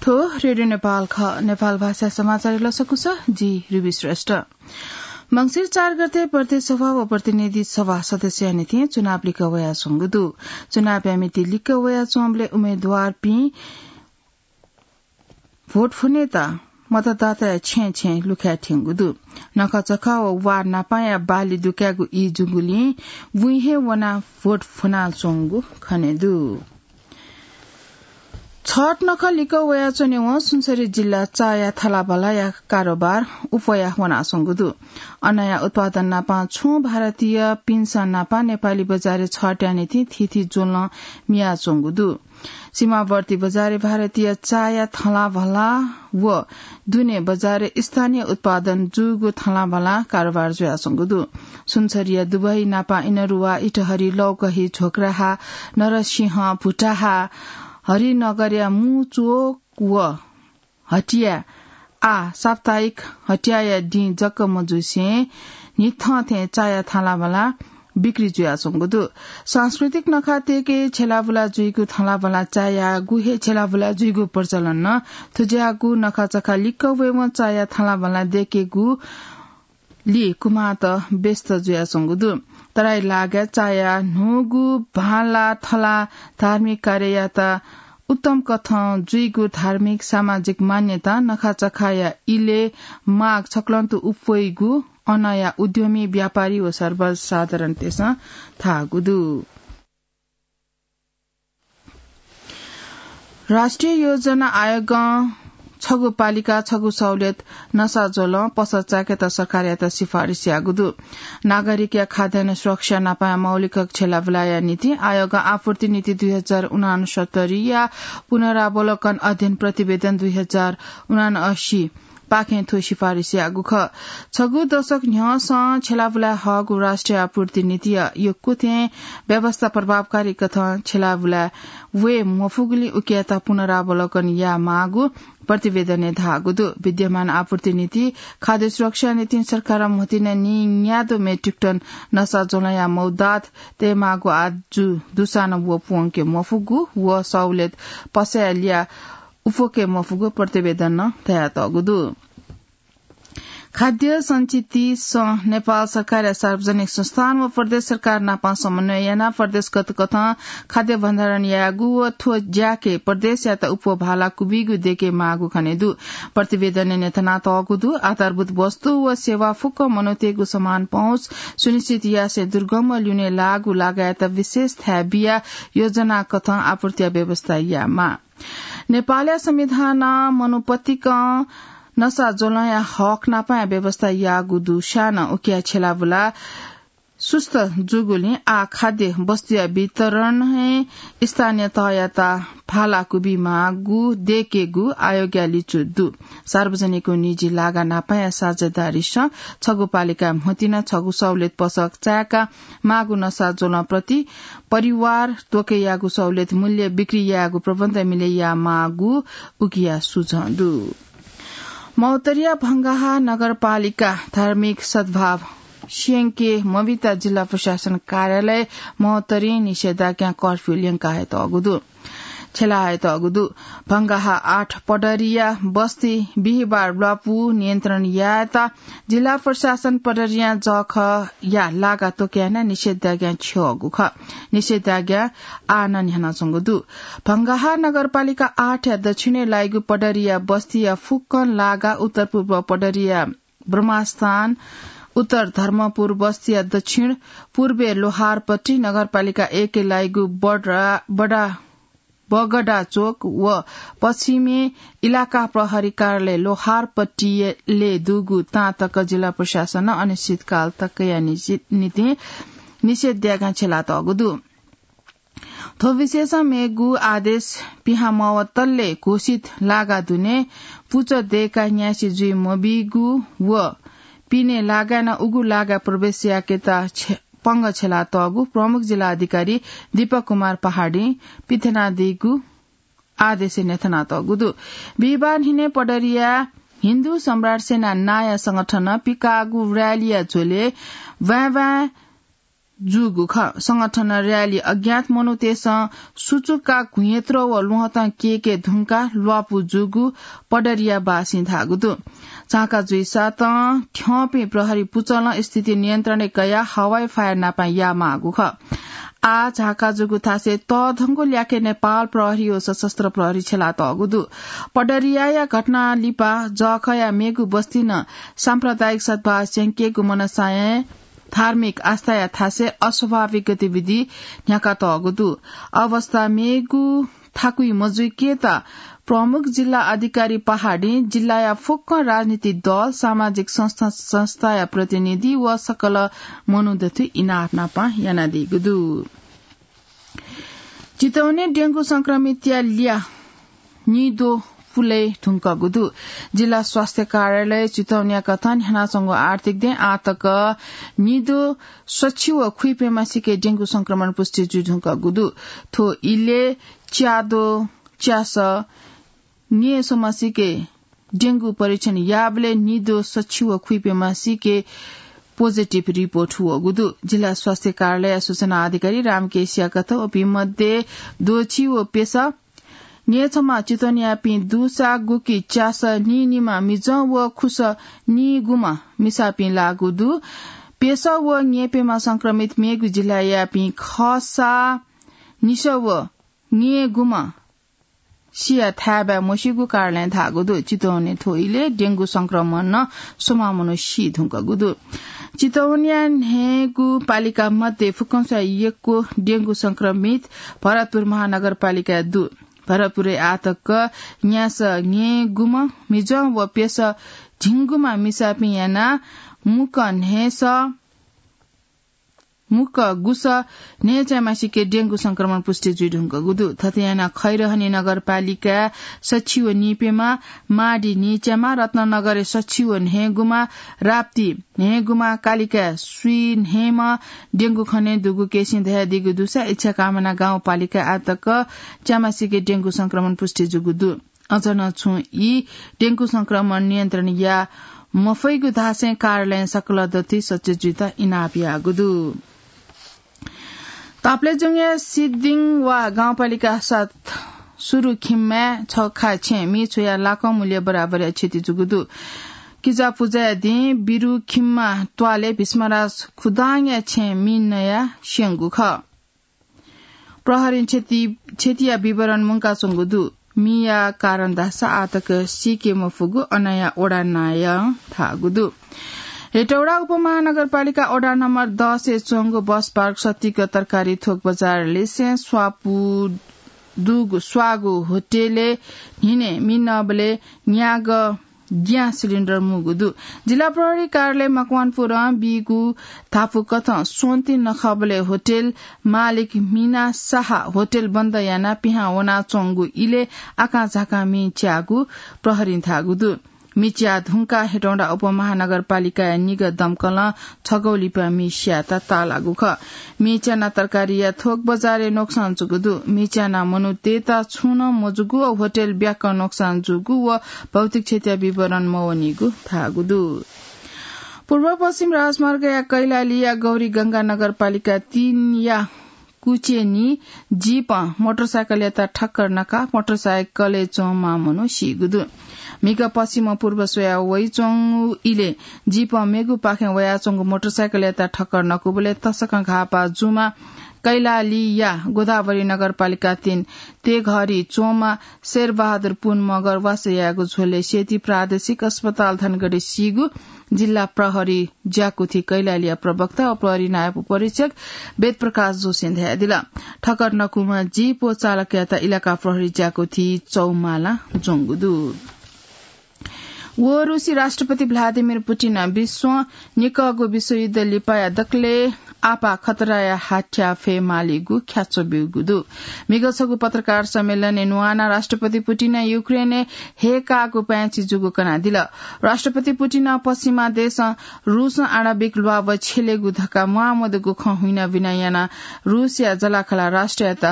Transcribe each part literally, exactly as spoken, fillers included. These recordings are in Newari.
रेडियो नेपाल ख, नेपाल भाषा समाचार लसकुस, जि रुबी श्रेष्ठ। मंसिर चार गते प्रदेश सभा व प्रतिनिधि सभा सदस्यया निंतिं चुनाव लिक्क वयाच्वंगु दु। चुनावया मिति लिक्क वयाच्वंबलय् उम्मेदवारपिं भोट फ्वनेत मतदाताया छेँय् छेँय् लुखाय् थ्यंगु दु। नखःचखः व वार्ड नापांया बाली दुकायेगु ई जूगुलिं बुँइ हे वनाः भोट फ्वनाच्वंगु खने दु। छठ नखः लिक्क वयाच्वनेवं सुनसरी जिल्ला चाया थलाबलाया कारोबार उफया वनाच्वंगु दु। अनया उत्पादन नापां छुं भारतीयपिन्सं नापां नेपाली बजारय् छठया निंतिं थीथी ज्वलं मियाच्वंगु दु। सीमावर्ती बजारय् भारतीय चाया थलाबला व दुने बजारय् स्थानीय उत्पादन जूगु थलाबला कारोबार जुयाच्वंगु दु। सुनसरीया दुबही नापां इनरुवा, इटहरी, लौकही, झोक्राहा, नरसिंह, भुटाहा, हरिनगरया मुचोक व हटिया आः साप्ताहिक हटियाया दिं जक मजुसें न्हिथं थें चाया थलाबला बिक्री जुयाच्वंगु दु। सांस्कृतिक नखः तयेके छेलाबुला जुइगु थलाबला चायागु हे छेलाबुला जुइगु प्रचलन नं थुज्याःगु नखःचखः लिक्क वयेवं चाया थलाबला दयेकेगु लि कुमाःत व्यस्त जुयाच्वंगु दु। तराई लागाय् चाया न्हूगु भाला थला धार्मिक कार्ययात उत्तम कथं जुइगु धार्मिक सामाजिक मान्यता नखःचखःया इलय् माग छकलंतु उप्वइगु अनया उद्यमी व्यापारी व सर्वसाधारणतय्सं धाःगु दु। राष्ट्रिय योजना आयोगं छगू पालिका छगू सहुलियत नसा ज्वलं पसः चायेकेत सरकारयात सिफारिस याःगु दु। नागरिकया खाद्यान्न सुरक्षा नापाया मौलिक छेलाबुलाया निंतिं आयोगं आपूर्ति नीति दुई हजार उनान्सत्तरीया पुनरावलोकन अध्ययन प्रतिवेदन दुई हजार उनान्असी पाखें थ्व सिफारिस याःगु खः। छगू दशक न्ह्यःसं छेलाबुलाय् हःगु राष्ट्रिय आपूर्ति नीतिया यक्व थें व्यवस्था प्रभावकारी कथं छेलाबुलाय् वये मफुगुलिं उकियात पुनरावलोकन यायेमाःगु प्रतिवेदनय् धाःगु दु। विद्यमान आपूर्ति नीति खाद्य सुरक्षा निंतिं सरकारं म्हतिना नीन्यादँ मेट्रिक टन नसा ज्वलंया मौदात तयेमाःगु आजु दुसां नं व प्वंके मफुगु व सहुलियत पसःया लिया उप्वके मफुगु प्रतिवेदनं धयातःगु दु। खाद्य संचिति सं नेपाल सरकारया सार्वजनिक संस्थान व प्रदेश सरकार नाप समन्वय यानाः प्रदेशगत कथं खाद्य भण्डारण यायेगु व थ्व ज्याके प्रदेशयात उप्वः भाला कुबीगु दयेके माःगु खने दु। प्रतिवेदनय् न्ह्यथनातःगु दु। आधारभूत वस्तु व सेवा फुक्क मनूतय्गु समान पहुँच सुनिश्चित यासें दुर्गम व ल्यूने लाःगु लागायत विशेष थाय् बियाः योजना कथं आपूर्तिया व्यवस्था यायेमाः। नेपालया संविधानं मनूपतिकं नसा ज्वलंया हक नापाया व्यवस्था याःगु दुसां नं उकिया छेलाबुला सुस्त जूगुलिं आः खाद्य वस्तुया वितरणय् स्थानीय तहयात भाला कुबीमाःगु दयेकेगु आयोगया लिचु दु। सार्वजनिक व निजी लागा नापाया साझेदारीसं छगू पालिकाय् म्हतिना छगू सहुलियत पसः चायेका माःगु नसा ज्वलं प्रति परिवार त्वकयागु सहुलियत मूल्य बिक्री यायेगु प्रबन्ध मिले यायेमाःगु उकिया सुझं दु। महोत्तरीया भंगाहा नगरपालिका धार्मिक सद्भाव स्यंके मबित जिल्ला प्रशासन कार्यालय महोत्तरीं निषेधाज्ञा कर्फ्यू ल्यंका हयेतःगु दु। छ्यला हयेतःगु दु। भंगाहा आठ पडरिया बस्ती बिहिबार ल्वापु नियन्त्रण यायेत जिल्ला प्रशासन पडरिया जःखःया लागा त्वकयाना निषेधाज्ञा छ्यःगु खः। निषेधाज्ञा आः नं न्ह्यानाच्वंगु दु। भंगाहा नगरपालिका आठया दक्षिणय् लाइगु पडरिया बस्तीया फुक्कं लागा उत्तर पूर्व पडरिया ब्रह्मास्थान, उत्तर धर्मपुर बस्तीया दक्षिण पूर्वय् लोहारपट्टि, नगरपालिका एकय् लाइगु बडा, बडा बगडा चोक व पश्चिमय् इलाका प्रहरी कार्यालय लोहारपट्टिले दुगु तां तक जिल्ला प्रशासनं अनिश्चितकाल तकया निषि-, निंतिं निषेधाज्ञा छ्यलातःगु दु। थ्व विषयसं मेगु आदेश पिहां मवतले घोषित लागा दुने पुचः दय्काः न्यासि जुइ मबीगु व पिने लागाय् नं उगु लागाय् प्रवेश याकेत छ्य-, पंगः छ्यलातःगु प्रमुख जिल्ला अधिकारी दीपक कुमार पहाडीं पिथनादीगु आदेशय् न्ह्यथनातःगु दु। बिहिबार न्हिनय् पडरिया हिन्दू सम्राट सेना नांया संगठनं पिकाःगु र्‍यालीया झ्वलय् ब्वाँय् ब्वाँय् जूगु खः। संगठन र्‍याली अज्ञात मनूतय्‌सं सुचुक्का घुँयेत्र व ल्वहँतं केके धुंकाः ल्वापु जूगु पडरियावासीं धाःगु दु। झाँका जुइसातं थ्यंपिं प्रहरी पुचलं स्थिति नियन्त्रणय् कयाः हवाई फायर नापं यायेमाःगु खः। आः झाँका जूगु थासय् तःधंगु ल्याखय् नेपाल प्रहरी व सशस्त्र प्रहरी छ्यलातःगु दु। पडरियाया घटना लिपा जःखःया मेगु बस्तिइ नं साम्प्रदायिक सद्भाव स्यंकेगु मनसायं धार्मिक आस्थाया थासय् अस्वाभाविक गतिविधि न्ह्याकातःगु दु। अवस्था मेगु थाकुइ मजुइकेत प्रमुख जिल्ला अधिकारी पहाडीं जिल्लाया फुक्क राजनीतिक दल, सामाजिक संस्था, संस्थाया प्रतिनिधि व सकल मनू दथुइ इनाप नापं यानादीगु दु। चितवनय् डेंगु संक्रमितया ल्याः निद्वः पुले धुंकूगु दु। जिल्ला स्वास्थ्य कार्यालय चितवनया कथं न्ह्यानाच्वंगु आठ तारिखदँ आःतक निद्वः सछि व खुइप्यम्हसिके डेंगु संक्रमण पुष्टि जुइधुंकूगु दु। थ्व इलय् च्याद्वः च्यासः न्यय्‌सम्हसिके डेंगु परीक्षण याःबलय् निद्वः सछि व खुइप्यम्हसिके positive report वःगु दु। जिल्ला स्वास्थ्य कार्यालय सूचना अधिकारी रामकेशया कथं वपिं मध्ये द्वःछि व प्यसः न्यय्‌छम्ह चितवनयापिं दुसा गुकी च्यासः नीनिम्ह मिजं व खुसः नीगुम्ह मिसापिं लाःगु दु। प्यसः व न्यय्‌प्यम्ह संक्रमित मेगु जिल्लायापिं खःसा निसः व न्यय्‌गुम्ह सिया थाय्‌बाय् मसीगु कार्यालयं धाःगु दु। चितवनय् थ्व इलय् डेंगु संक्रमणं स्वम्ह मनू सीधुंकूगु दु। चितवनया न्हय्‌गू पालिका मध्ये फुक्कंस्वां यक्व डेंगु संक्रमित भरतपुर महानगरपालिकाय् दु। भरतपुरय् आःतक न्यासः न्यय्‌गुम्ह मिजं व प्यसः झिंगुम्ह मिसापिं यानाः मुक्क न्हय्‌सः मुक्क गुसः न्हय्‌च्याम्हसिके डेंगु संक्रमण पुष्टि जुइधुंकूगु दु। थथे यानाः खैरहनी नगरपालिकाय् सछि व नीप्यम्ह, माडी नीच्याम्ह, रत्ननगरय् सछि व न्हय्‌गुम्ह, राप्ती न्हय्‌गुम्ह, कालिकाय् स्वीन्हय्‌म्ह डेंगु खनेदुगु केसिं धयादीगु दुसा इच्छाकामना गाउँपालिकाय् आःतक च्याम्हसिके डेंगु संक्रमण पुष्टि जूगु दु। अझ नं छुं ई डेंगु संक्रमण नियन्त्रण याये मफइगु धासें कार्यालयं सकल दथुइ सचेत जुइत इनाप याःगु दु। ताप्लेजुङया सिद्धिङवा गाउँपालिका सात सुरुखिम्माय् छखा छेँ मि छ्वयाः लाखौं मूल्य बराबरया क्षति जूगु दु। किजापुजाया दिं बिरुखिम्मा त्वालय् भीष्मराज खुदाङया छेँ मि नयाः स्यंगु खः। प्रहरीं क्षति, क्षतिया विवरण मुंकाच्वंगु दु। मिया कारण धाःसा आःतक सीके मफुगु अनया वडा नायं धाःगु दु। हेटौडा उपमहानगरपालिका वडा नम्बर दसय् च्वंगु बस पार्क सतिक तरकारी थोक बजार लिसें स्वापु दुगु स्वाःगु होटलय् न्हिनय् मि नःबलय् न्यागः ग्यास सिलिन्डर मुंगु दु। जिल्ला प्रहरी कार्यालय मकवानपुरं बीगु धापू कथं स्वन्ति नखःबलय् होटल मालिक मिना शाह होटल बन्द यानाः पिहां वनाच्वंगु इलय् आकाझाकां मि च्याःगु प्रहरीं धाःगु दु। मि च्याः धुंकाः हेटौंडा उपमहानगरपालिकाया निगः दमकलं छगू लिपा मि स्यायेत ताःलाःगु खः। मि च्यानाः तरकारीया थोक बजारय् नोक्सान जूगु दु। मि च्यानाः मनूतय्‌त छुं नं मजूगु व होटल ब्याक्क नोक्सान जूगु व भौतिक क्षतिया विवरण मवनीगु धाःगु दु। पूर्व पश्चिम राजमार्गया कैलालीया गौरीगंगा नगरपालिका तीनया कुचेनी जीपं मोटरसाइकलयात ठक्कर नकाः मोटरसाइकलय् च्वंम्ह मनू सीगु दु। म्हिगः पश्चिम पूर्व स्वयाः वइच्वंगु इलय् जीपं मेगुपाखें वयाच्वंगु मोटरसाइकलयात ठक्कर नकूबलय् तसकं घाःपाः जूम्ह कैलालीया गोदावरी नगरपालिका तीन तेघरी च्वंम्ह शेरबहादुर पुन मगर वासः याःगु झ्वलय् सेती प्रादेशिक अस्पताल धनगढी सीगु जिल्ला प्रहरी ज्याकुथि कैलालीया प्रवक्ता व प्रहरी नायब उपरीक्षक वेदप्रकाश जोशीं धयादिल। ठक्कर नकूम्ह जीप व चालकयात इलाका प्रहरी ज्याकुथि चौमाला ज्वंगु दु। व रुसी राष्ट्रपति भ्लादिमिर पुटिनं विश्वं निकःगु विश्वयुद्ध लिपाया दकलय् आपाः खतराया हाथ्याः फयेमालीगु ख्याच्वः ब्यूगु दु। म्हिगः छगू पत्रकार सम्मेलनय् न्ववानाः राष्ट्रपति पुटिनं युक्रेनय् हय्‌काःगु पाय्‌छि जूगु कनादिल। राष्ट्रपति पुटिनं पश्चिमा देशं रुसं आणविक ल्वाभः छ्यलेगु धकाः म्वाःमदुगु खँ हुइनाबिना यानाः रुसया जःलाखःला राष्ट्रयात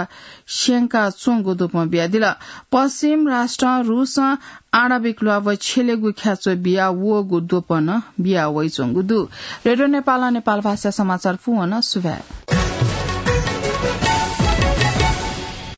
स्यंकाच्वंगु द्वपं बियादिल। पश्चिम राष्ट्रं रुसं आणविक ल्वाभः छ्यलेगु ख्याच्वः बिया वःगु द्वपं बिया वइच्वंगु दु। रेडियो नेपालं नेपाल भाषा समाचार पूवन सुभाय्।